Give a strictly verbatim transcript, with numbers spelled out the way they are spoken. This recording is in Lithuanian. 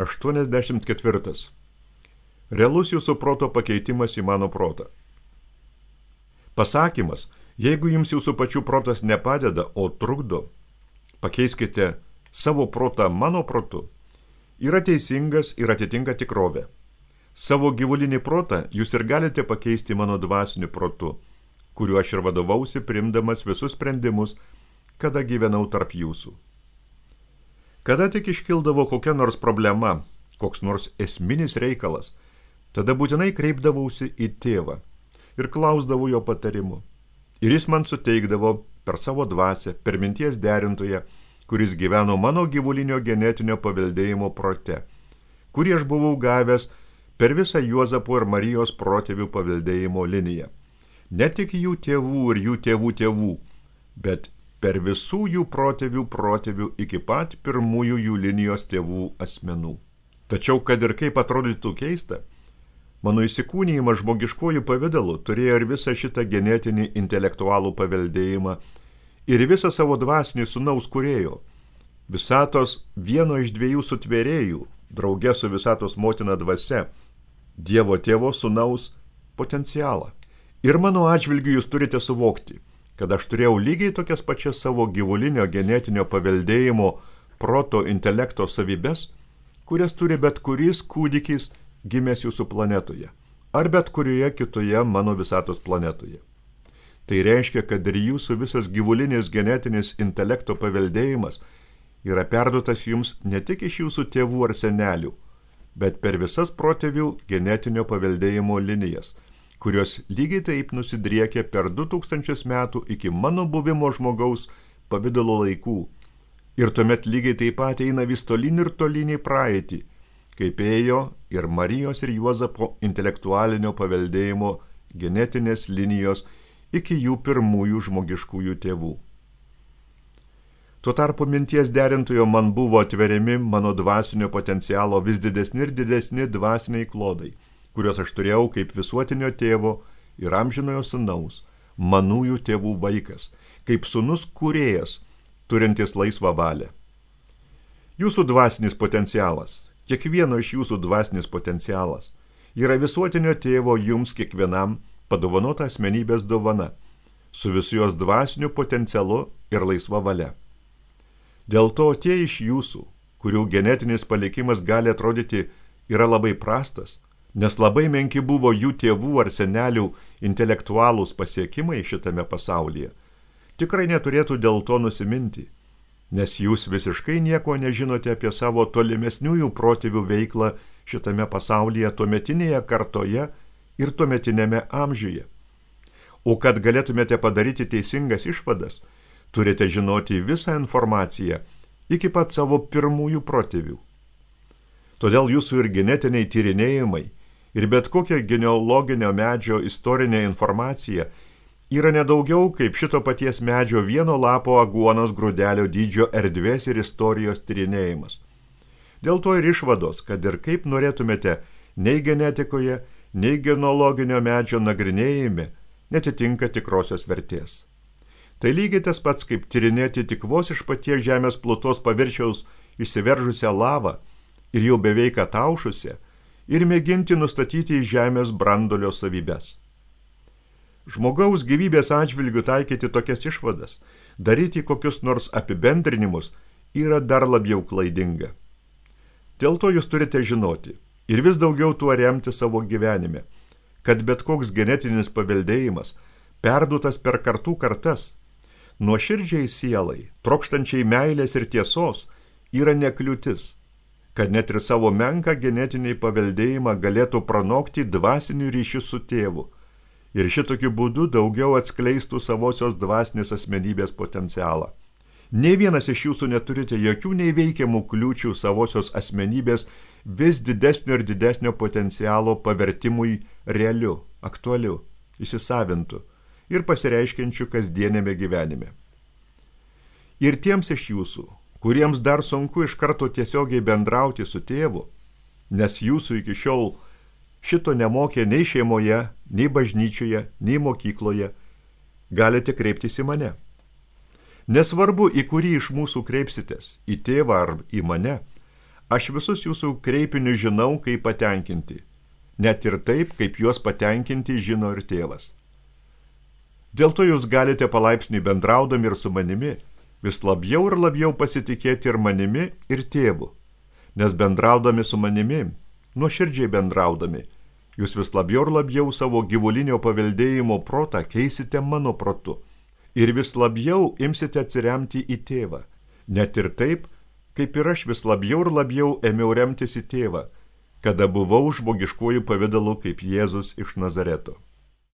aštuoniasdešimt ketvirtas. Realus jūsų proto pakeitimas į mano protą. Pasakymas, jeigu jums jūsų pačių protas nepadeda, o trukdo, pakeiskite savo protą mano protu, yra teisingas ir atitinka tikrovę. Savo gyvulinį protą jūs ir galite pakeisti mano dvasiniu protu, kuriuo aš ir vadovausi, priimdamas visus sprendimus, kada gyvenau tarp jūsų. Kada tik iškildavo kokia nors problema, koks nors esminis reikalas, tada būtinai kreipdavausi į tėvą ir klausdavau jo patarimų. Ir jis man suteikdavo per savo dvasią, per minties derintoją, kuris gyveno mano gyvulinio genetinio paveldėjimo prote, kurį aš buvau gavęs per visą Juozapo ir Marijos protėvių paveldėjimo liniją. Ne tik jų tėvų ir jų tėvų tėvų, bet per visų jų protėvių protėvių iki pat pirmųjų jų linijos tėvų asmenų. Tačiau, kad ir kaip atrodytų keista, mano įsikūnijimas žmogiškojų pavidalu turėjo ir visą šitą genetinį intelektualų paveldėjimą ir visą savo dvasinį sūnaus kūrėjo, visatos vieno iš dviejų sutvėrėjų, drauge su visatos motina dvasia, Dievo tėvo sūnaus potencialą. Ir mano atžvilgiu jūs turite suvokti, kad aš turėjau lygiai tokias pačias savo gyvulinio genetinio paveldėjimo proto intelekto savybes, kurias turi bet kuris kūdikis gimęs jūsų planetoje, ar bet kurioje kitoje mano visatos planetoje. Tai reiškia, kad ir jūsų visas gyvulinis genetinis intelekto paveldėjimas yra perduotas jums ne tik iš jūsų tėvų ar senelių, bet per visas protėvių genetinio paveldėjimo linijas, kurios lygiai taip nusidriekia per du tūkstančius metų iki mano buvimo žmogaus pavidalo laikų. Ir tuomet lygiai taip pat eina vis tolyn ir tolyn į praeitį, kaip ėjo ir Marijos ir Juozapo intelektualinio paveldėjimo genetinės linijos iki jų pirmųjų žmogiškųjų tėvų. Tuo tarpu minties derintojo man buvo atveriami mano dvasinio potencialo vis didesni ir didesni dvasiniai klodai, kuriuos aš turėjau kaip visuotinio tėvo ir amžinojo sūnaus, manųjų tėvų vaikas, kaip sūnus kūrėjas, turintis laisvą valią. Jūsų dvasinis potencialas, kiekvieno iš jūsų dvasinis potencialas, yra visuotinio tėvo jums kiekvienam padovanota asmenybės dovana, su visu jos dvasiniu potencialu ir laisva valia. Dėl to tie iš jūsų, kurių genetinis palikimas gali atrodyti yra labai prastas, nes labai menki buvo jų tėvų ar senelių intelektualūs pasiekimai šitame pasaulyje, tikrai neturėtų dėl to nusiminti, nes jūs visiškai nieko nežinote apie savo tolimesniųjų protėvių veiklą šitame pasaulyje tuometinėje kartoje ir tuometinėme amžiuje. O kad galėtumėte padaryti teisingas išvadas, turite žinoti visą informaciją iki pat savo pirmųjų protėvių. Todėl jūsų ir genetiniai tyrinėjimai ir bet kokia genealoginio medžio istorinė informacija yra nedaugiau kaip šito paties medžio vieno lapo aguonos grūdelio dydžio erdvės ir istorijos tyrinėjimas. Dėl to ir išvados, kad ir kaip norėtumėte, nei genetikoje, nei genealoginio medžio nagrinėjime netitinka tikrosios vertės. Tai lygiai tas pats, kaip tyrinėti tik vos iš paties žemės plutos paviršiaus išsiveržusią lavą ir jau beveik ataušusią ir mėginti nustatyti į žemės brandolio savybes. Žmogaus gyvybės atžvilgių taikyti tokias išvadas, daryti kokius nors apibendrinimus yra dar labiau klaidinga. Dėl to jūs turite žinoti ir vis daugiau tuo remti savo gyvenime, kad bet koks genetinis paveldėjimas, perduotas per kartų kartas, nuoširdžiai sielai, trokštančiai meilės ir tiesos, yra nekliūtis, kad net ir savo menką genetinį paveldėjimą galėtų pranokti dvasinių ryšių su tėvu ir šitokiu būdu daugiau atskleistų savosios dvasinės asmenybės potencialą. Nei vienas iš jūsų neturite jokių neįveikiamų kliūčių savosios asmenybės vis didesnio ir didesnio potencialo pavertimui realiu, aktualiu, įsisavintu ir pasireiškiančių kasdienėme gyvenime. Ir tiems iš jūsų, kuriems dar sunku iš karto tiesiogiai bendrauti su tėvu, nes jūsų iki šiol šito nemokė nei šeimoje, nei bažnyčioje, nei mokykloje, galite kreiptis į mane. Nesvarbu, į kurį iš mūsų kreipsitės, į tėvą ar į mane, Aš visus jūsų kreipinius žinau, kaip patenkinti, net ir taip, kaip juos patenkinti žino ir tėvas. Dėl to jūs galite palaipsniui bendraudami ir su manimi vis labiau ir labiau pasitikėti ir manimi, ir tėvu, nes bendraudami su manimi, nuoširdžiai bendraudami, jūs vis labiau ir labiau savo gyvulinio paveldėjimo protą keisite mano protu ir vis labiau imsite atsiremti į tėvą, net ir taip, kaip ir aš vis labiau ir labiau ėmiau remtis į tėvą, kada buvau žmogiškuoju pavidalu kaip Jėzus iš Nazareto.